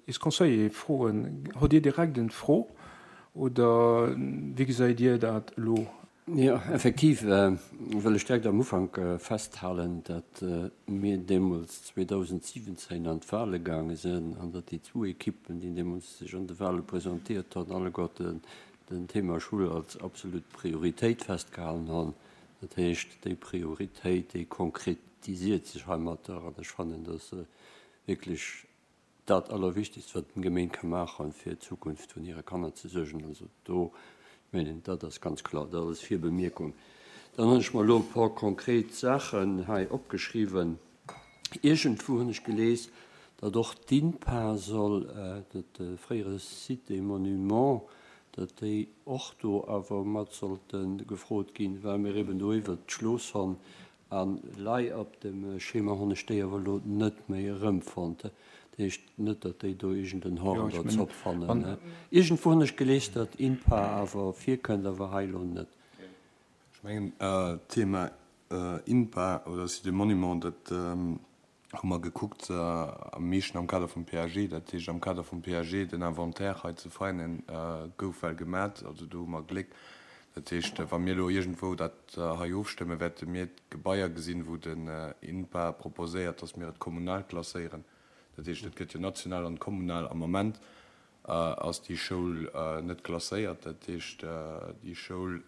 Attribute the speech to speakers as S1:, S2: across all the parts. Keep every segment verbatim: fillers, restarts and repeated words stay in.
S1: is Conseiller froen, Hutt Dir direkt en Fro oder wéi gesäit Dir dat elo?
S2: Jo, effektiv wëll ech direkt am Ufank festhalen, datt mir deemools zweedausentsiwwenzéin an d'Wahle gaange sinn an datt déi zwou Ekippen, déi deemools sech an de Wahle presentéiert hunn, alleguerten den Thema Schoul als absolut Prioritéit festgehalen hunn. Dat heescht, déi Prioritéit, déi konkretisiert sech heimatter an ech fannen, datt se wierklech dat Allerwichtigst, wat eng Gemeng ka maachen, fir d'Zukunft vun hire Kanner ze suergen. Also do, ech mengen, dat ass ganz kloer. Dat als Virbemierkung. Dann hunn ech mer elo e puer konkret Saachen hei opgeschriwwen. Iergendwou hunn ech gelies, datt och d'INPA soll, dat fréiere Site et Monuments, datt déi och do awer mat sollte gefrot ginn, well mir eben do iwwert d'Schloss hunn. An lei op dem Schema hunn ech déi awer elo net méi erëmfonnt. Dat heescht net, datt déi do iergend en Horn
S1: Jo, ech
S2: der
S1: mengen,
S2: Zopp fannen.
S1: an.
S2: Iergendwou hunn ech gelies, datt INPA awer virkënnt, awer hei elo net.
S3: Ech mengen, d'Thema INPA oder Site et Monuments, dat hu mer gekuckt am meeschten am Kader vum P A G. Dat heescht, am Kader vum P A G den Inventaire hei ze feinen, gouf well gemat. Also do hu mer Gléck. Dat heescht, wa mir elo iergendwou dat hei ofstëmmen, wäerte mir d'Gebaier gesinn, wou den INPA proposéiert, dass mir et kommunal klasséieren. Dat heescht, et gëtt jo national an kommunal. Am Moment ass déi Schoul net klasséiert. Dat heescht, déi Schoul,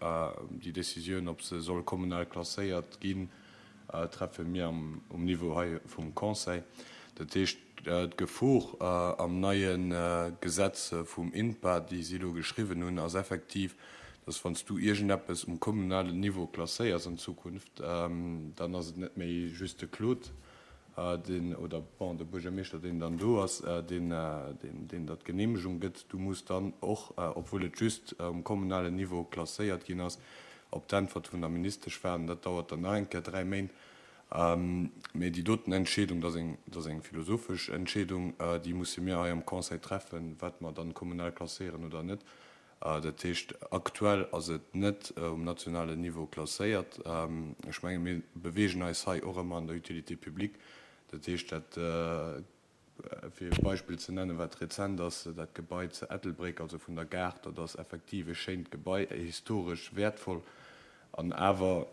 S3: déi Décisioun, ob se soll kommunal klasséiert ginn, treffe mir um Niveau hei vum Conseil. Dat heescht, d'Gefor am neie Gesetz vum INPA, déi si elo geschriwwen hunn, ass effektiv, dass wann s du iergendeppes um kommunalen Niveau klasséiers an Zukunft, dann ass et net méi just de Claude, deen, oder bon, de Buergermeeschter, deen dann do ass, deen, deen der d'Genehmegung gëtt. Du muss dann och, obwuel et just um kommunalen Niveau klasséiert ginn ass, op d'Äntwert vun der Ministesch waarden. Dat dauert dann nach eng Kéier dräi Méint. Mee déi doten Entscheedung, dat ass eng, dat ass eng philosophesch Entscheedung, déi musse mir hei am Conseil treffen, wat mer dann kommunal klasséieren oder net. Dat heescht, aktuell ass et net um nationalen Niveau klasséiert. Ech menge mir beweegen eis hei och ëmmer an der Utilité publique. Dat heescht, dat, fir e Beispill ze nennen, wat rezent ass, dat Gebai zu Ettelbréck, also vun der Gare, dat ass effektiv e schéint Gebai, historesch wäertvoll. An awer,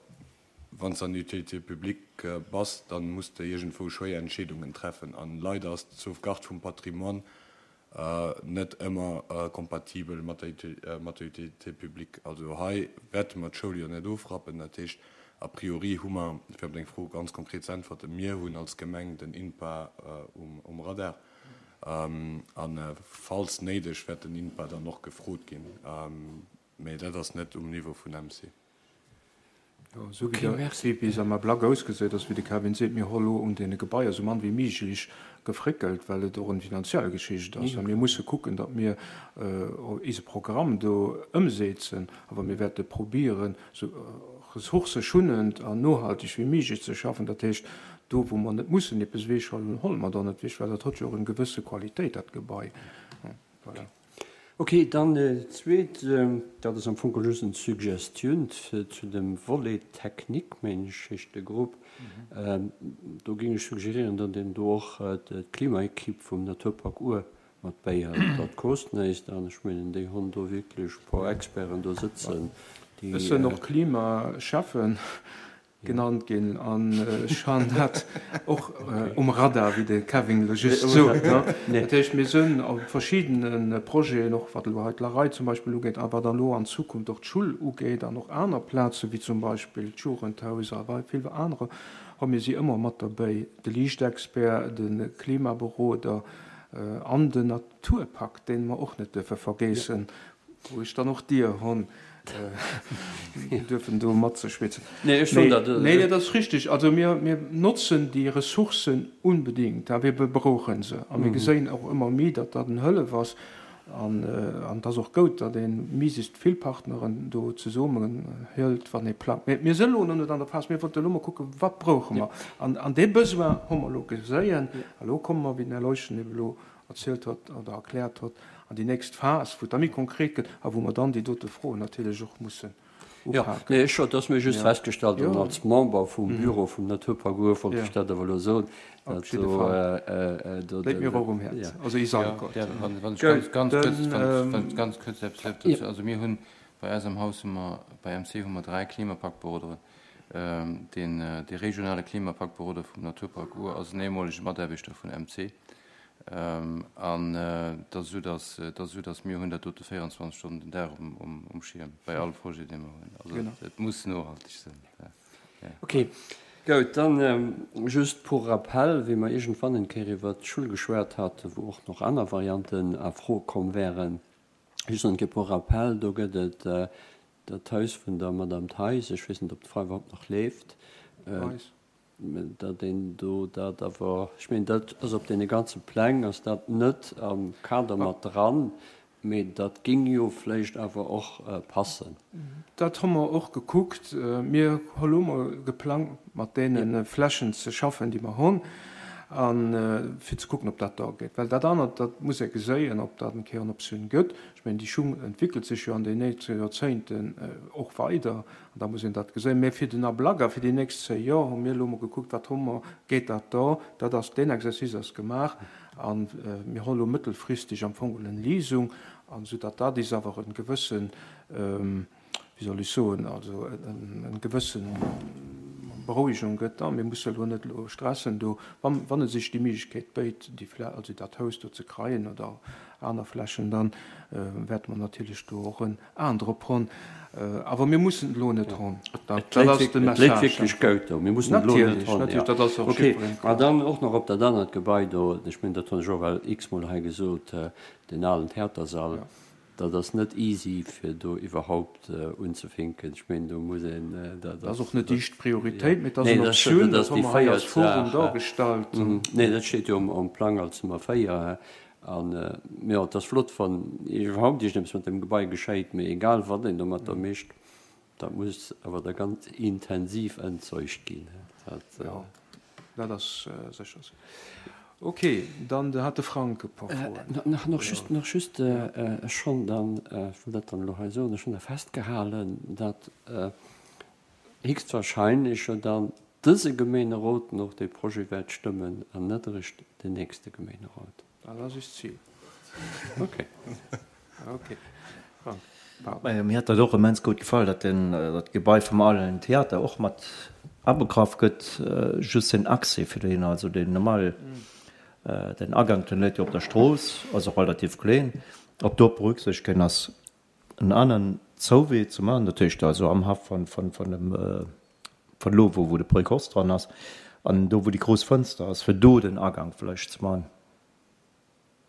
S3: wann s de an der Utilité publique bass, da muss de iergendwou schwéier Entscheedungen treffen. An leider ass d'Sauvegarde vum Patrimoine net ëmmer kompatibel mat der mat der Utilité publique. Also hei wäerte mer d'Schoul jo net ofrappen. Dat heescht, a priori hu mer, fir op deng Fro ganz konkret ze äntwerten, mir hunn als Gemeng den INPA um Radar. A falls néideg wäert den INPA dann och gefrot ginn. Mä dat ass net um Niveau vun M C.
S1: Jo, esou wéi der wéi se am Ablack ausgesäit ass, wéi de Kevin seet, mir hu lo un deene Gebaier esou mann wéi méiglech gefréckelt, well et och eng finanziell Geschicht ass. A mir musse kucken, datt mir eise Programm do ëmsetzen, awer mir wäerte probieren, esou ressourcëschounend an nohalteg wéi méiglech ze schaffen. Dat heescht, do wou mer net mussen eppes ewechhuelen, huele mer dann net ewech, well dat huet jo och eng gewësse Qualitéit, dat Gebai. Voilà.
S2: Ok, dann zweet, dat ass am Fong just eng Suggestioun zu dem Volet technique, mengen ech heescht de Grupp. Do géing ech suggerieren, datt een do och d'Klimaekipp vum Naturpark Our mat bäihëlt. Dat kost näischt an ech mengen, déi hunn do wierklech e puer Experten do sëtzen, déi.
S1: Ech sënn och Klimaschäffen. Genannt ginn an ech han dat och um Radar, wéi de Kevin elo just sot. Dat heescht, mir sënn a verschiddene Projeten, och wat elo hei d'Larei zum Beispill ugeet a wat elo an Zukunft och d'Schull ugeet an och aner Plaze wéi zum Beispill d'Jugendhaus a vill anerer, hu mir si ëmmer mat derbäi, de Liichtexpert, de Klimaberoder an den Naturpakt, dee mer och net duerfe vergeessen, wou ech dann och d'Ier hunn, duerfen do matzeschwätzen.
S2: Nee, ech soen dat.
S1: Nee, dat ass richtig. Also mir, mir notzen déi Ressourcen unbedingt, a mir brauche se. A mir geséien och ëmmer méi, datt dat en Hëllef ass. An, an et ass och goud, datt ee méiglechst vill Partneren do zesummen hëlt, wann ee plangt. Mee mir sinn elo nach net an der Phas, mir wollten elo mol kucken, wat brauche mer. An, an dee Besoin hu mer elo geséien. A lo komme mer, wéi den Här Leuschen eben elo erzielt huet oder erkläert huet, an déi nächst Phas, wou et da méi konkret gëtt a wou mer dann déi dote Froen natierlech och mussen
S2: upaken. Nee, ech, dat ass mir just festgestallt an als Member vum Büro vum Naturpark Our wollt ech dat awer elo soen,
S1: dat do. Léit mir och um Häerz, also is alleguerten.
S4: Wann ech ganz kuerz, wann ech ganz kuerz eppes dierf dozou, also mir hunn bei eis am Haus hu mer, bei M C hu mer dräi Klimapaktberoderen. Deen, dee regionale Klimapaktberoder vum Naturpark Our ass en ehemolege Mataarbechter vun M C. An et ass esou, dass, et ass esou, dass mir hunn dat dote véierundzwanzeg Stonnen den Dag um, um, um Schierm bei all Projet, dee mer hunn. Also
S1: Genau.
S4: et muss nohalteg sinn. Ja.
S2: Okay, goud. Dann just pour rappel, wéi mer iergendwann eng Kéier iwwert d'Schull geschwat haten, wou och nach aner Varianten a Fro komm wären, just eng Kéier pour rappel, do gëtt et dat Haus vun der Madame Theis, ech weess net, ob d'Fra iwwerhaupt nach leeft,
S1: Theis.
S2: datt een do dat awer, ech mengen, dat ass op deene ganze Pläng ass dat net am Kader mat dran, mee dat géing jo vläicht awer och passen.
S1: Dat hu mer och gekuckt. Mir hu lo mol geplangt, mat deene Flächen ze schaffen, déi mer hunn, a fir ze kucken, ob dat da geet. Well dat anert, dat muss ee geséien, ob dat eng Kéier en Optioun gëtt. Ech mengen, déi Schung entwéckelt sech jo an den nächste Joerzéngten och weider, an da muss een dat geséien. Mä fir den Ablack a fir déi nächst zéng Joer hu mir elo mol gekuckt, wat hu mer, geet dat da? Dat ass, deen Exercice ass gemaach a mir hu elo mëttelfristeg am Fong en Leasung, an soudatt dat is awer en gewëssen, wéi soll ech soen, also en gewëssen Berouegung gëtt. A mir musse elo net elo stressen do, wann, wann et sech déi Méiglechkeet béit, déi Flä-, also dat Haus do ze kreien oder aner Flächen, dann wäerte mer natierlech do och en Aen drop hunn. Awer mir mussen et elo net hunn. Dat,
S2: Et
S1: dat ass de
S2: léit
S1: Message.
S2: wierklech goud do. Mir mussen et elo net
S1: Natierlech,
S2: hunn,
S1: natierlech,
S2: jo.
S1: dat ass och
S2: Okay,
S1: jiddwereen
S2: a
S1: kloer.
S2: dann och nach op dat anert Gebai do, ech mengen, dat hunn ech och well x-mol hei gesot, deen alen Theatersall.
S1: Ja.
S2: Dat ass net easy, fir do iwwerhaupt unzefinken. Ech mengen, do muss een, dat
S1: Dat ass
S2: ass,
S1: och net déi
S2: dat,
S1: éischt
S2: ja.
S1: Prioritéit, mee et ass
S2: Nee,
S1: eng
S2: dat ass,
S1: Optioun,
S2: dat
S1: dat
S2: ass
S1: hu
S2: déi
S1: mer hei als
S2: véiert
S1: Forum
S2: Saach.
S1: dargestallt.
S2: Nee, dat steet jo am Plang als Nummer véier. An, jo, et ass flott, wann iwwerhaupt iergendeppes mat deem Gebai geschéit, mee egal wat een domatter mécht, dat muss awer da ganz intensiv entzeugt ginn. Dat,
S1: Jo, dat ass sécher esou. Okay, dann hat de Frank e puer Froen.
S2: Nach, nach just, nach just, ech hunn dann, ech wëll dat dann elo hei soen, ech hunn da festgehalen, datt héchstwahrscheinlech jo dann dëse Gemeenerot nach dee Projet wäert stëmmen an net eréischt den nächste Gemeenerot.
S1: Dat ass eist Zil.
S2: Okay.
S1: Okay. Frank, pardon.
S5: Majo, mir hat dat och immens gutt gefall, datt den, dat Gebai vum alen Theater och mat abegraff gëtt, just den Accès fir dohinner, also den normal, den Agank, den läit jo op der Strooss, ass och relativ kleen, ob do berücksichtegt ginn ass, en aneren Zouwee ze maachen, dat heescht also am Haff von, von, von dem, von elo, wou, wou de Précoce dran ass, an do wou déi grouss Fënster ass, fir do den Agank vläicht ze maachen,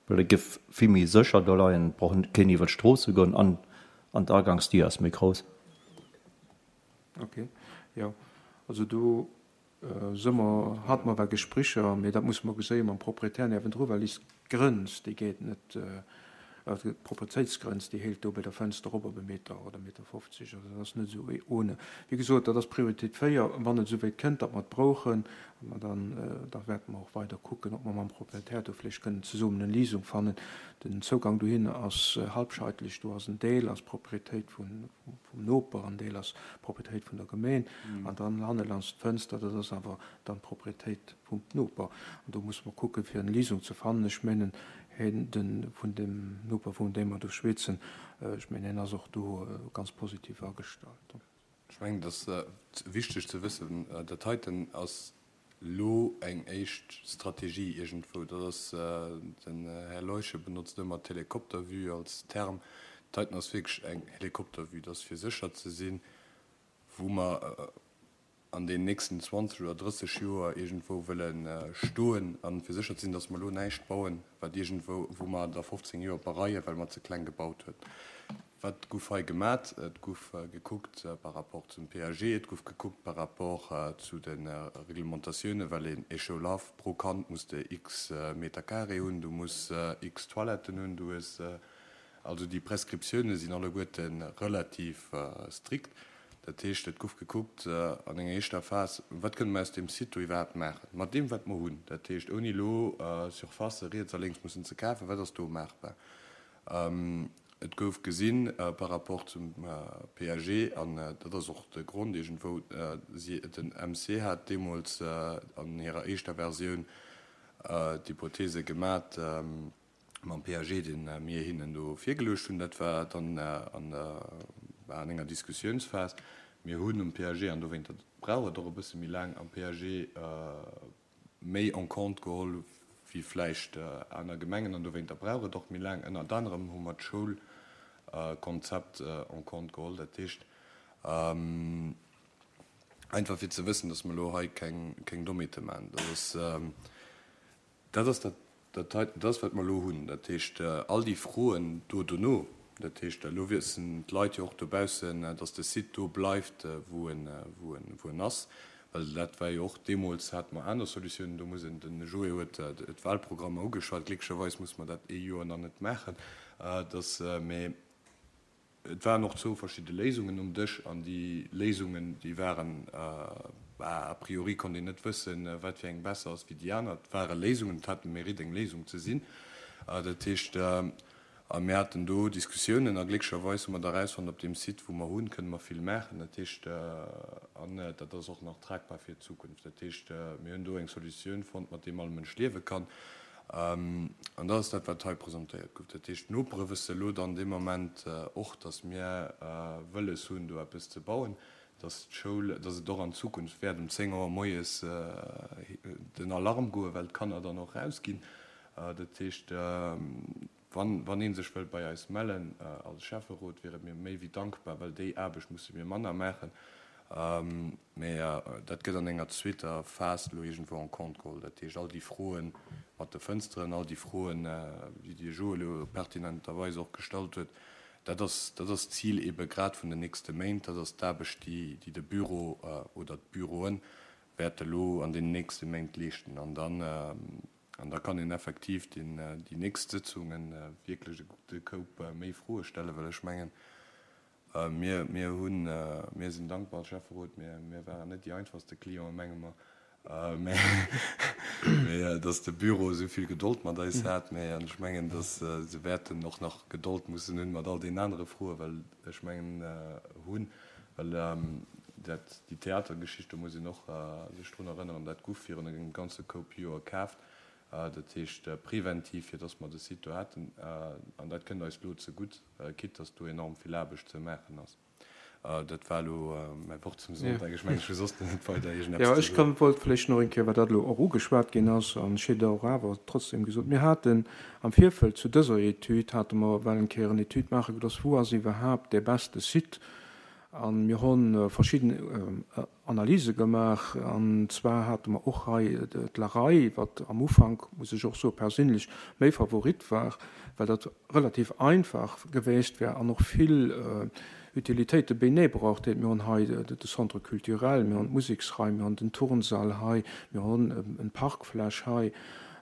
S5: well et géif vill méi sécher do leien, et brauch keen iwwer d'Strooss ze goen an, an d'Agangsdier ass méi grouss.
S1: Okay, jo, also do si mer, hate mer well Gesprécher, mee dat musse mer geséien mam Proprietär niewendru, well is Grënz, déi geet net, d'Proprietéitsgrënz, déi héilt do bei der Fënster op op e Meter oder e Meter fofzeg, also dat ass net esou ohne. Wéi gesot, dat ass Prioritéit véier, wann et esouwäit kënnt, datt mer et brauchen, ma dann, da wäerte mer och weider kucken, ob mer mam Proprietär do vläicht kënnen zesummen eng Léisung fannen. Den Zougang dohin ass halbscheitlech, do ass en Deel ass Proprietéit vun, vum Noper, en Deel ass Proprietéit vun der Gemeen, an dann hannelands d'Fënster, dat ass awer dann d'Proprietéit vum Noper. An do musse mer kucken, fir eng Léisung ze fannen. Ech mengen, hien, den, vun dem Noper, vun deem mer do schwätzen, ech mengen, hien ass och do ganz positiv agestallt.
S3: Ech mengen, et ass wichteg ze wëssen, dat heiten ass elo eng éischt Strategie iergendwou. Dat ass, den Här Leuschen benotzt ëmmer d'Helikoptervue als Term. Dat heiten ass wierklech eng Helikoptervue. Dat ass fir sécher ze sinn, wou mer an den nächsten zwanzeg oder drësseg Joer iergendwou wëlle stoen, a fir sécher ze sinn, datt mer elo näischt bauen, wat iergendwou, wou mer da fofzéng Joer bereien, well mer ze kleng gebaut hunn. Wat gouf hei gemat? Et gouf gekuckt par rapport zum P A G, et gouf gekuckt par rapport zu de Reglementatiounen, well een Échelaf pro Kand muss de x Meter carré hunn, du muss x Toiletten hunn, du hues, also déi Prescriptiounen sinn alleguerte relativ strikt. Dat heescht, et gouf gekuckt an enger éischter Phas, wat kënne mer aus deem Site do iwwerhaapt maachen, mat deem, wat mer hunn. Dat heescht, ouni elo Surfacë riets a lénks mussen ze kafen, wat ass do maachbar? Et gouf gesinn par rapport zum P A G, an dat ass och de Grond iergendwou, si, den M C hat deemools an hirer éischter Versioun d'Hypothese gemat mam P A G, dee mir hinnen do virgeluecht hunn. Dat war dann an der, an enger Diskussiounsphas. Mir hunn um P A G, an dowéinter brauch et och e bësse méi laang, am P A G méi en compte geholl wéi vläicht aner Gemengen, an dowéinter brauch et och méi laang. Ënnert anerem hu mer d'Schoulkonzept en compte geholl. Dat heescht, einfach fir ze wëssen, dass mer elo hei keng, keng Dommheete maachen. Dat ass, dat ass dat, dat hei, dat ass wat mer elo hunn. Dat heescht, all déi Froen do dono, dat heescht, elo wëssen d'Leit jo och dobaussen, dass de Site do bleift, wou en, wou en, wou en ass. Well dat war jo och deemools, hate mer aner Solutiounen. Do muss een, den Joé huet d'Wahlprogrammer ugeschwat, glécklecherweis muss mer dat ee Joer nach net maachen, dass, mee et waren och zwou verschidde Léisungen um Dësch, an déi Léisungen, déi waren, a priori konnt een net wëssen, wat fir eng besser ass wéi déi aner. Et ware Léisungen, et hat de Mérite, eng Léisung ze sinn. Dat heescht, a mir haten do Diskussiounen, a glécklecherweis hu mer da erausfonnt, op deem Site, wou mer hunn, kënne mer vill maachen. Dat heescht, an dat ass och nach tragbar fir d'Zukunft. Dat heescht, mir hunn do eng Solutioun fonnt, mat deem all Mënsch liewe kann. An dat ass dat, wat hei presentéiert gouf. Dat heescht, d'Nopere wësse elo dann dee Moment och, dass mir wëlles hunn, do eppes ze bauen, dass d'Schoul, dass et och an Zukunft wäert um zéng Auer moies den Alarm goen, well d'Kanner dann och rausginn. Dat heescht, wann, wann ee sech wëllt bei eis mellen als Schäfferot, wiere mir méi wéi dankbar, well déi Aarbecht musse mir manner maachen. Mä dat gëtt an enger zweeter Phas elo iergendwou en compte geholl. Dat heescht, all déi Froen mat de Fënsteren, all déi Froen, déi de Joé elo pertinenterweis och gestallt huet, dat ass, dat ass d'Zil ebe grad vun den nächste Méint. Dat ass d'Aarbecht, déi, déi de Büro oder d'Büroe wäerte elo an den nächste Méint leeschten. An dann, an da kann een effektiv den, déi nächst Sëtzungen wierklech e gudde Koup méi Froe stellen, well ech mengen, mir, mir hunn, mir sinn dankbar als Schäfferot, mir, mir waren net déi einfachste Clienten, menge mer, mä, mä dass de Büro esou vill Gedold mat eis hat. Mä ech mengen, dass se wäerten och nach Gedold mussen hunn mat all deenen anere Froen, well ech mengen hunn, well dat, déi Theatergeschicht, do muss een och sech drun erënneren, dat gouf virun engem ganze Koup Joer kaaft, dat heescht preventiv, fir dass mer de Site do haten, an dat kënnt eis elo zegutt, quitte dass do enorm vill Aarbecht ze maachen ass. Dat war elo mäi Wort zum Sonntag. Ech mengen, ech hu soss net weider iergendeppes
S1: Jo,
S3: ze
S1: ech
S3: soen.
S1: kann, wollt vläicht nach eng Kéier, well dat elo och ugeschwat ginn ass, an ech hätt och awer trotzdem gesot, mir haten am Virfeld zu dëser Etüd, hate mer well eng Kéier en Etüd maache gelooss, wou ass iwwerhaapt dee beste Site, a mir hu verschidden Analyse gemaach, an zwar hate mer och hei d'Larei, wat am Ufank, muss ech och soen, perséinlech méi Favorit war, well dat relativ einfach geweecht wär an och vill Utilitéite beinee braucht hätt. Mir hunn hei de Centre culturel, mir hunn d'Museksraim, mir hunn den Turnsall hei, mir hunn en Parkfläch hei.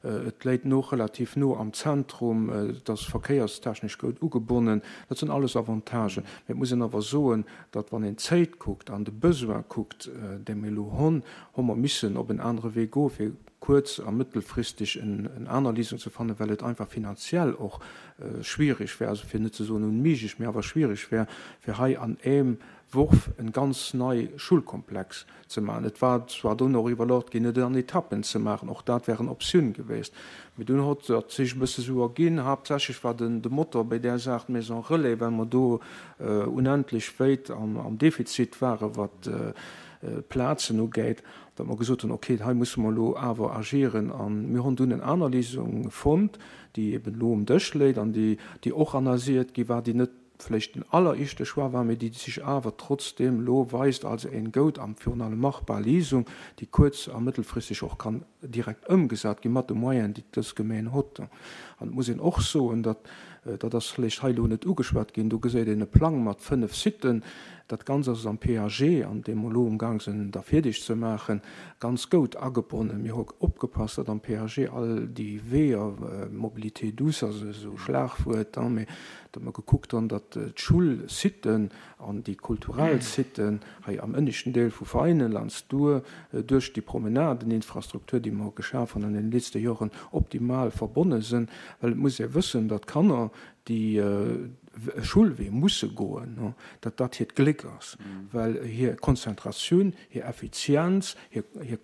S1: Et läit no relativ no am Zentrum, et ass verkéierstechnesch goud ugebonnen. Dat sinn alles Avantagen. Mä et muss een awer soen, datt wann een d'Zéit kuckt an de Besoin kuckt, dee mir elo hunn, hu mer missen op en anere Wee goen, fir kuerz a mëttelfristeg en aner Léisung ze fannen, well et einfach finanziell och schwierig wär, also fir net ze soen unméiglech, mä awer schwierig wär, fir hei an engem Worf en ganz nei Schulkomplex ze maachen. Et war zwar dunn och iwwerluecht ginn, et an Etappen ze maachen, och dat wär en Optioun gewiescht, mee dunn hott dat sech e bësse sou erginn. Haaptsächlech war den de Motor bei där Saach d'Maison Relais, well mer do unendlech wéit am am Defizit ware wat d'Plazen ugeet, datt mer gesot hunn, okay, hei musse mer elo awer agieren. A mir hunn dunn en aner Léisung fonnt, déi eben elo um Dësch léit an déi déi och analysiert gi war, déi net vläicht den alleréischte Choix war, mee déi sech awer trotzdeem elo weist als eng goud a virun allem machbar Léisung, déi kuerz a mëttelfristeg och kann direkt ëmgesat gi mat de Moyenen, déi dës Gemeen hott. An et muss een och soen, datt, dat ass vläicht hei elo net ugeschwat ginn, do geséit een e Plang mat fënnef Siten, dat Ganzt ass am P A G, an deem mer elo umgang sinn, da fierdeg ze maachen, ganz goud agebonnen. Mir hu opgepasst, datt am P A G all déi Weeër, Mobilité douce ass esou e Schlagwuert, mee datt mer gekuckt hunn, datt d'Schoulsiten an déi kulturell Siten hei am ënneschten Deel vu Veinen, laanscht d'Our, duerch déi Promenadeninfrastruktur, déi mer geschaf hunn an den letzte Joren, optimal verbonne sinn. Well et muss ee wëssen, datt Kanner, déi Schoulwee musse goen, datt dat hiert Gléck ass, well hir Konzentratioun, hir Effizienz, hir, hir,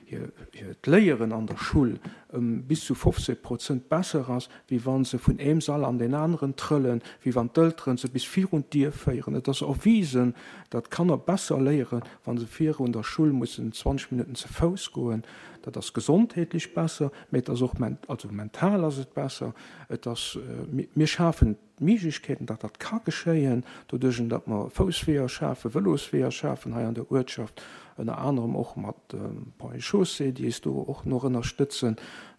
S1: hir, hiert Léieren an der Schull ëm bis zu fofzeg Prozent besser ass, wéi wa se vun eem Sall an deen aneren trëllen, wéi wann d'Elteren se bis virun d'Dier féieren. Et ass erwisen, datt d'Kanner besser léieren, wa se virun der Schull mussen zwanzeg Minutten ze Fouss goen. Dat ass gesondheetlech besser, mä et ass och also mental ass et besser. Et ass, mir schafen d'Méiglechkeeten, datt dat ka geschéien, doduerch datt mer Foussweeër schafen, Vëlosweeër schafen hei an der Uertschaft, ënner anerem och mat Ponts et Chaussées, déi eis do och nach ënnerstëtzen,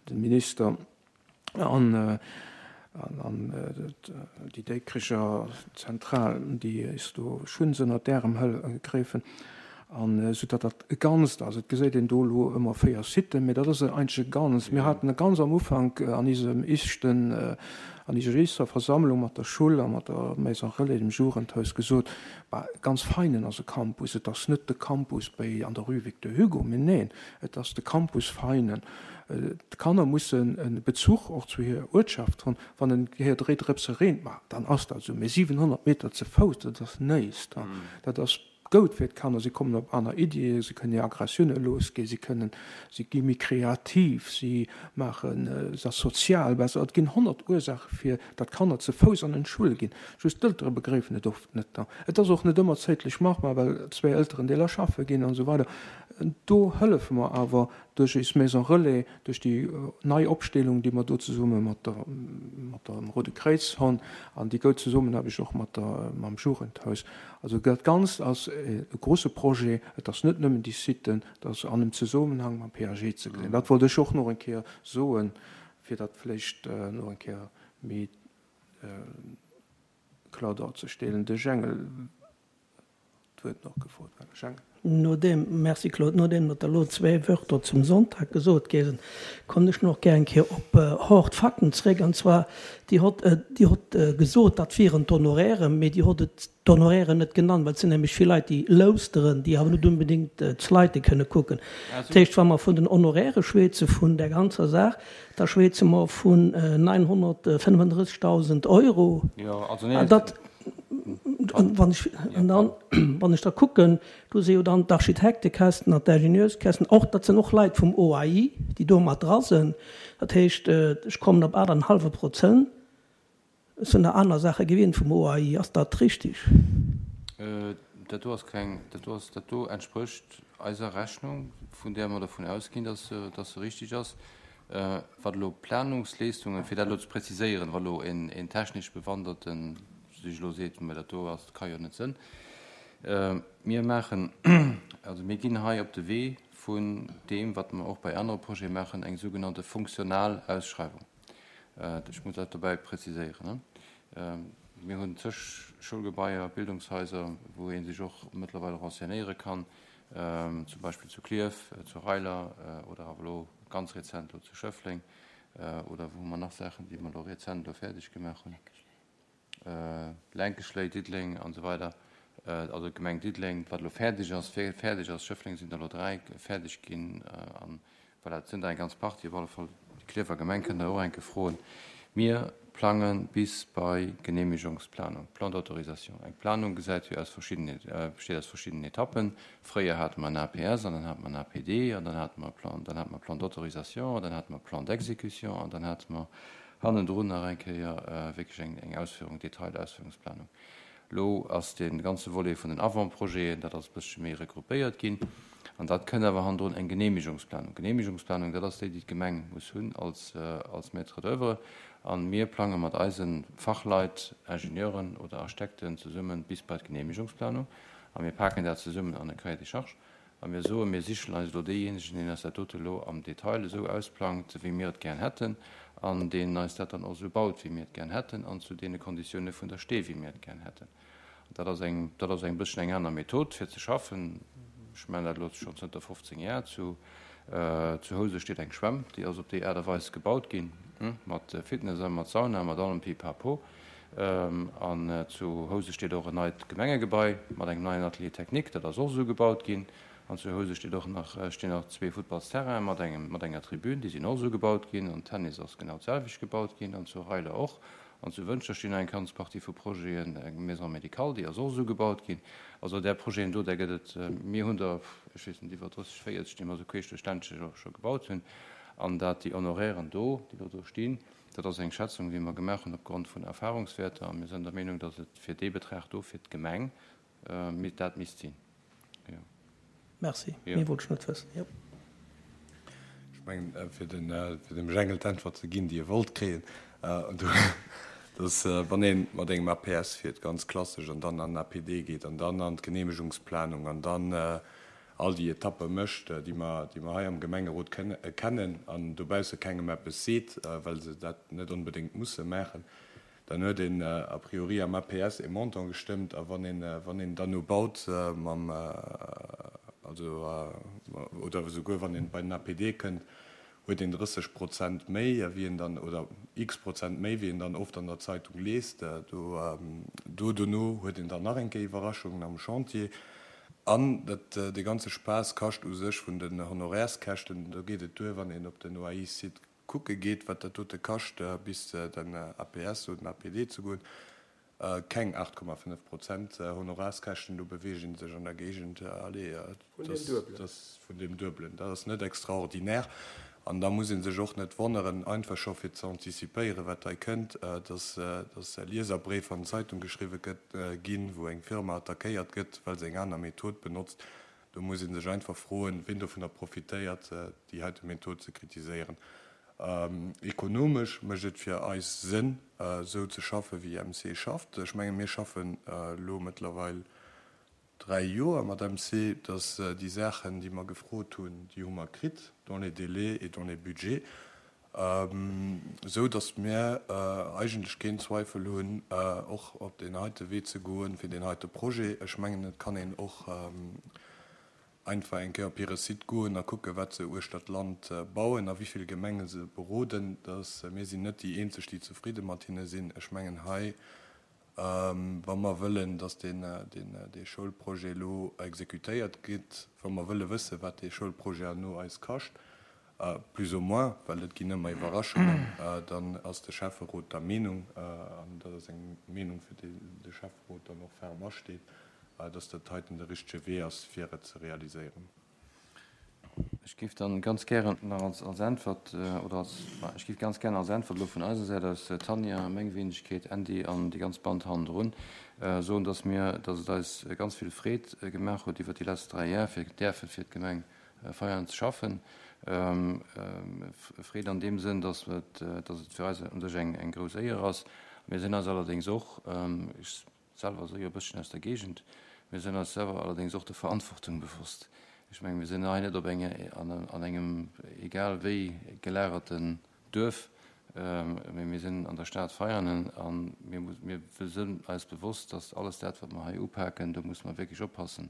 S1: de Minister an an déi Déikricher Zentral, déi eis do schunns ënnert d'Ärem gräfen. An esou datt dat e Ganzt ass. Et geséit een do elo ëmmer véier Siten, mä dat ass eigentlech e Ganzt. Mir haten ganz am Ufank an eisem éischten, an eiser éischter Versammlung mat der Schull a mat der Maison Relais, dem Jugendhaus, gesot, Bah, ganz Veinen ass e Campus. Et ass net de Campus béi an der Rue Victor Hugo, mä neen, et ass de Campus Veinen. D'Kanner mussen e Bezuch och zu hirer Uertschaft hunn. Wann en Kéier dréi Drëpse reent, ma dann ass dat esou. Mä siwenhonnert Meter ze Fouss, dat ass néist. Dat ass goud fir d'Kanner, si kommen op aner Iddien, se kënnen hir Aggressioune losginn, si kënnen, si gi méi kreativ, si maachen, se ass sozial besser. Et ginn honnert Ursaache fir datt Kanner ze Fouss an en d'Schull ginn, just d'Eltere begréifen et oft net. Et ass och net ëmmer zäitlech machbar, well zwee Elterendeeler schaffe ginn an esou weider. Do hëllefe mer awer duerch eis Maison Relais, duerch déi nei Opstellung, déi mer do zesumme mat der, mat dem Roude Kréiz hunn an déi goud Zesummenaarbecht och mat der, mam Jugendhaus. Also dat Ganzt ass e grouse Projet. Et ass net nëmmen déi Siten, et ass an em Zesummenhang mam P A G ze gesinn. Dat wollt ech och nach eng Kéier soen, fir dat vläicht nach eng Kéier méi kloer darzestellen. De Jengel huet nach gefrot. Jengel.
S6: Nodeem, merci Claude, nodeem datt der elo zwee Wörter zum Sonntag gesot gi sinn, kommen ech nach gär eng Kéier op hard Fakten zréck. An zwar, Dir hott, Dir hott gesot, dat wieren d'Honorairen, mee Dir hott et d'Honorairen net genannt, well et sinn nämlech vill Leit, déi lauschteren, déi awer net unbedéngt d'Slide kënne kucken. Dat heescht, wa mer vun den Honoraire schwätze vun där ganzer Saach, da schwätze mer vun neunhunnertfënnefundrëssegdausend Euro. An dat, wann ech, an dann, wann ech da kucken, do si jo dann d'Architektekästen an d'Ingenieurskästen, och dat sinn och Leit vum O A I, déi do mat dra sinn. Dat heescht, ech kommen op aacht an en hallwe Prozent. Ech sinn der aner Saache gewinnt vum O A I. Ass dat richtig?
S4: Dat do ass keng, dat do ass, dat do entsprécht eiser Rechnung, vun där mer dervun ausginn, dass se, dass se richtig ass. Wat elo Planungsleistungen, fir dat elo ze präziséieren, wa elo een, een technesch Bewanderten sech elo seet, mä dat do ass, ka jo net sënn. Mir maachen, also mir ginn hei op de Wee vun deem, wat mer och bei anere Projete maachen, eng sougenannte funktional Ausschreiwung. Ech muss dat dobäi präziséieren. Mir hunn zeg Schoulgebaier, Bildungshaiser, wou ee sech och mëttlerweil renseignéiere kann, zum Beispill zu Klierf, zu Reiler oder awer elo ganz rezent elo zu Schëffleng oder wou hu mer nach Saachen, déi mer elo rezent elo fäerdeg gemaach hunn, Lenkeschléi, Diddeleng an esou weider, also d'Gemeng Diddeleng, wat elo fäerdeg ass, fäerdeg ass, Schëffleng sinn der elo dräi fäerdeg ginn an voilà, et sinn der eng ganz Partie, op alle Fall déi Klierfer Gemeng kënnt Der och eng Kéier froen. Mir plange bis bei Genehmigungsplanung, Plan d'autorisation. Eng Planung gesäit jo aus verschiddenen, besteet aus verschiddenen Etappen. Fréier hate mer en A P S an dann hate mer en A P D an dann hate mer Plan, dann hate mer Plan d'autorisation an dann hate mer Plan d'exécution an dann hate mer hannendrun nach eng Kéier wierklech eng, eng Ausführung, Detailausführungsplanung. Elo ass dee ganze Volet vun den Avant-projeten, dat ass e bëssche méi regroupéiert ginn. An dat kënnt awer hannendrun eng Genehmigungsplanung. Genehmigungsplanung, dat ass déi, déi d'Gemeng muss hunn als, als Maître d'œuvre. A mir plange mat eise Fachleit, Ingenieuren oder Architekten zesummen bis bei d'Genehmigungsplanung. A mir paken dat zesummen an e Cahier des charges. A mir soen, mir sichen eis elo deejéinegen, deen eis dat dote elo am Detail esou ausplangt, wéi mir et gär hätten, an deen eis dat dann och esou baut, wéi mir et gär hätten, an zu deene Konditioune vun der Stee, wéi mir et gär hätten. Dat ass eng, dat ass eng bësschen eng aner Method, fir ze schaffen. Ech maachen dat elo schonn zënter fofzéng Jar. Zu, zu Housen steet eng Schwämm, déi ass op déi Aart a Weis gebaut ginn, mat Fitness a mat Sauna, mat allem Pipapo. An zu Housen steet och en neit Gemengegebai mat engem neien Atelier technique, dat ass och esou gebaut ginn. An zu Housen steet och nach, stinn nach zwee Futtballsterrainen mat engem, mat enger Tribün, déi sinn och esou gebaut ginn. An Tennis ass genau d'selwecht gebaut ginn an zu Reiler och. An zu Wëntger stinn eng ganz Partie vu Projeten, eng Maison médicale, déi ass och esou gebaut ginn. Also där Projeten do, där gëtt et, mir hunn der, ech weess net, iwwer drësseg, véierzeg, déi mer esou queesch duerch d'Ländche scho gebaut hunn. An dat déi Honorairen do, déi elo do stinn, dat ass eng Schätzung, déi mer gemaach hunn opgrond vun Erfahrungswäerter. A mir sinn der Meenung, datt et fir dee Betrag do fir d'Gemeng dat misst sinn. Jo.
S6: Merci. Méi wollt ech net wëssen. Jo.
S3: Ech mengen, fir dem Jengel d'Äntwert ze ginn, déi e wollt kréien, dass, wann ee mat engem A P S fiert, ganz klassesch, an dann an den A P D geet an dann an d'Genehmegungsplanung an dann all déi Etappe mécht, déi mer, déi mer hei am Gemengerot kennen an dobausse kengem eppes seet, well se dat net onbedéngt musse maachen, dann huet een a priori am A P S e Montant gestëmmt a wann een, wann een dann no baut mam, also, oder esouguer wann een bei den A P D kënnt, huet een drësseg Prozent méi, wéi een dann, oder x Prozent méi, wéi een dann oft an der Zeitung liest. Do, do dono huet een dann nach eng Kéier Iwwerraschungen am Chantier. An dat, de ganze Spaass kascht u sech vun den Honorärskäschten, do geet et duer, wann een op den O A I-Site kucke geet, wat dat dote kascht, bis den A P S oder den A P D ze goen, keng acht Komma fënnef Prozent Honorarskäschten, do beweegt ee sech an der Géigend, allez,
S1: Vun deem Duebelen.
S3: das vun deem Duebelen. Dat ass net extraordinär. An da muss ee sech och net wonneren, einfach scho fir ze antizipéieren, wat hei kënnt, dass, dass e Lieserbréif an d'Zeitung geschriwwe gëtt, ginn, wou eng Firma attackéiert gëtt, well se eng aner Method benotzt. Do muss ee sech einfach froen, wien dovunner profitéiert, déi heite Method ze kritiséieren. Ekonomesch mécht et fir eis Sënn, esou ze schaffen, wéi M C schafft. Ech menge, mir schaffen elo mëttlerweil dräi Joer mat M C, dass déi Saachen, déi mer gefrot hunn, déi hu mer kritt, dans les délais et dans les budgets, sou dass mir eigentlech keen Zweifel hunn, och op den heite Wee ze goen fir den heite Projet. Ech mengen, et kann een och einfach eng Kéier op hire Site goen a kucke, wat se uechter d'Land bauen a wéi vill Gemenge se beroden. Dass mir sinn net déi eenzeg, déi zefridde mat hinne sinn. Ech mengen hei, wa mer wëllen, dass den, den, dee Schoulprojet elo exekutéiert gëtt, wa mer wëlle wësse, wat dee Schoulprojet no eis kascht, plus ou moins, well et ginn ëmmer Iwwerraschungen, dann ass de Schäfferot der Meenung, an dat ass eng Meenung, fir déi de Schäfferot dann och ferm asteet, dass dat heiten de richtege Wee ass, fir et ze realiséieren.
S4: Ech géif dann ganz gären nach als, als Äntwert, oder als, ech géif ganz gären als Äntwert elo vun eiser Säit aus, Tanja, meng Wenigkeet, Andy an déi ganz Band hannendrun, soen, dass mir, dass et eis ganz vill Freed gemaach huet iwwer déi letzten dräi Jahre, fir däerfe fir d'Gemeng Veianen ze schaffen. Freed an dem Sënn, dass et, dass et fir eis un sech eng, eng grouss Éier ass. Mir sinn eis allerdéngs och, ech selwer so jo e bësschen aus der Gegend, mir sinn eis selwer allerdéngs och der Verantwortung bewusst. Ech meng, wir sinn hei net op enge, an, an engem egal wéi gelagerten Duerf, mee mir sinn an der Stad Veianen an mir muss, mir sinn eis bewusst, dass alles dat, wat wir hei upaken, do muss man wirklich oppassen.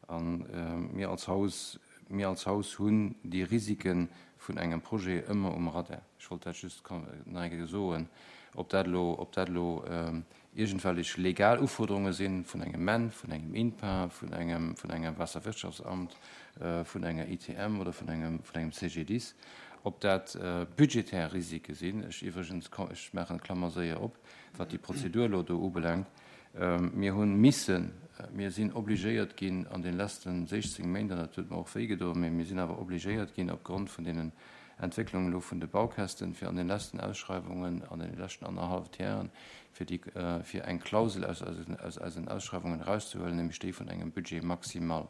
S4: An, äh, mir als Haus, mir als Haus hunn déi Risiken vun engem Projet ëmmer um Radar. Ech wollt dat just nach eng Kéier soen, ob dat lo, ob dat lo, ähm, irgendwelche legal Uforderungen sinn vun engem M E N, vun engem I N P A, vun engem, vun engem Wasserwirtschaftsamt, äh, vun enger I T M oder vun engem, vun engem C G D I S, ob dat, äh, budgetär Risike sinn. Ech übrigens, ech maachen Klammer séier op, wat die Prozedur lo do ubelangt. Ähm, mir hunn missen, mir sinn obligéiert ginn an den letzten sechzehn Méint, an dat huet mir och wéigedoen, mee mir sinn awer obligéiert ginn opgrond vun deenen Entwicklungen lo vun de Baukästen fir an den letzten Ausschreibungen an den letzten anderthalb Jahren fir die, äh, fir eng Klausel aus, aus, aus, aus den Ausschreibungen rauszuholen, nämlich déi vun engem Budget maximal.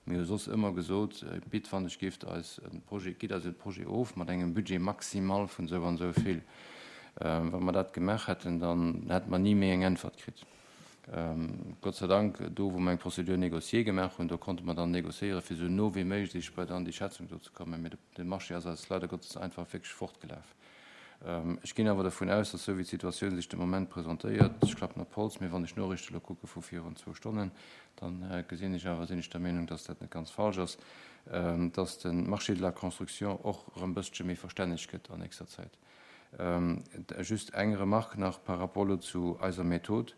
S4: Mir hu soss ëmmer gesot, äh, bitt wann ech gift eis en Projet, gitt eis en Projet of mat engem Budget maximal vun sou an sou vill. Ähm, wann wir dat gemaach hätten, dann hätten wir nie méi eng Äntwert kritt. Ähm, Gott sei Dank, do wo wir eng Prozedur négocier gemaach hunn, do konnte man dann négociéieren, fir so no wie möglich bei dann die Schätzung do zu kommen. Mee de, de Marché ass eis leider Gottes einfach wirklich fortgelaf. Ähm, ich gehe aber davon aus, dass so wie die Situation sich im Moment präsentiert, ich klappe nach Holz, mir wann ich Nachrichten gucke vor vier und zwei Stunden, dann, äh, gesehen ich aber, sind ich der Meinung, dass das nicht ganz falsch ist, ähm, dass den Marché de la Construction auch ein bisschen mehr verständlich wird an nächster Zeit. Ähm, just eng Remarque nach par rapport zu eiser Methode.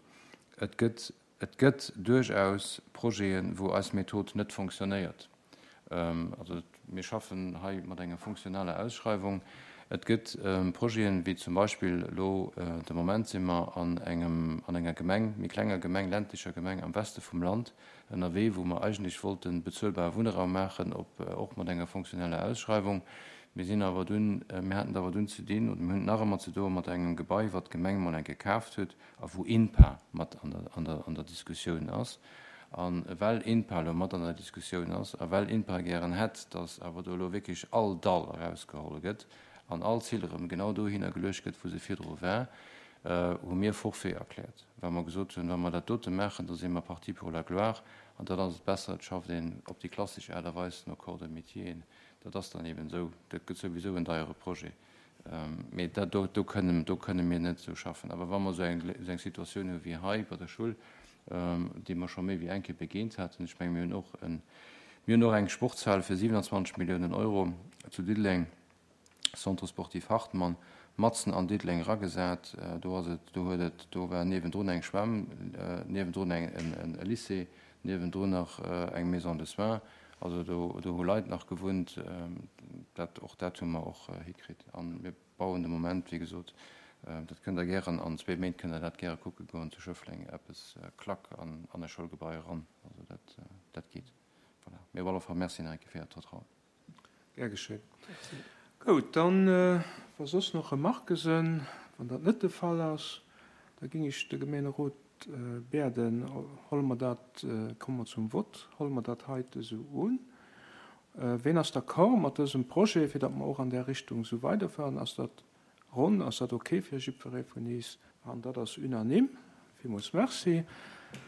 S4: Et gëtt, et gëtt durchaus Projeten, wo eis Method net funktioniert. Ähm, also wir schaffen hei mat enger funktionaler Ausschreibung. Et gëtt Projeten, wéi zum Beispill elo de Moment si mer an engem, an enger Gemeng, méi klenger Gemeng, ländlecher Gemeng am Weste vum Land ënnerwee, wou mer eigentlech wollte bezuelbare Wunnraum maachen, op, och mat enger fonctionneller Ausschreiwung. Mir sinn awer dunn, mir haten et awer dunn ze dinn, oder mir hunn et nach ëmmer ze doe mat engem Gebai, wat d'Gemeng emol eng Kéier kaaft huet a wou INPA mat an der, an der, an der Diskussioun ass. A well INPA elo mat an der Diskussioun ass a well INPA gären hätt, datt awer do elo wierklech all Dall erausgeholl gëtt an all Zill erëm genau dohinner geluecht gëtt, wou se virdru war, hu mir Forfait erkläert, well mer gesot hunn, wa mer dat dote maachen, da si mer parti pour la gloire an dann ass et besser, et schafft een op déi klassesch Aart a Weis no Corps de métieren. Dat ass dann eben esou. Dat gëtt souwisou en deiere Projet. Mee dat do, do kënnen, do kënne mir net esou schaffen. Awer wa mer esou eng, esou eng Situatioun hu wéi hei bei der Schull, déi mer scho méi wéi eng Kéier begéint haten, ech menge mir hunn och en, mir hunn och eng Sportshal fir siwenanzwanzeg Milliounen Euro zu Diddeleng, Centre sportif Hartmann, matzen an Diddeleng eragesat. Do ass et, do huet et, do war niewendrun eng Schwämm, niewendrun eng, en, e Lycée, niewendrun nach eng Maison de soins. Also do, do hu Leit nach gewunnt. Dat, och dat hu mer och hikritt. A mir bauen de Moment, wéi gesot, dat kënnt Der gären, an zwee Méint kënnt Der dat gäre kucke goen, zu Schëffleng eppes klack an, an e Schoulgebai eran. Also dat, dat geet. Voilà. Mee op alle Fall Merci nach eng Kéier fir Äert Vertrauen.
S1: Gär geschéen. Goud, dann, wa soss nach Remarquë sënn, wann dat net de Fall ass, da géing ech de Gemeenerot bieden, Holle mer dat, komme mer zum Vott, holle mer dat heite esou un. Ween ass d'accord mat dësem Projet, fir datt mer och an där Richtung esou weiderfueren? Ass dat ronn? Ass dat ok fir jiddweree vun iis? An dat ass unanime. Villmools Merci.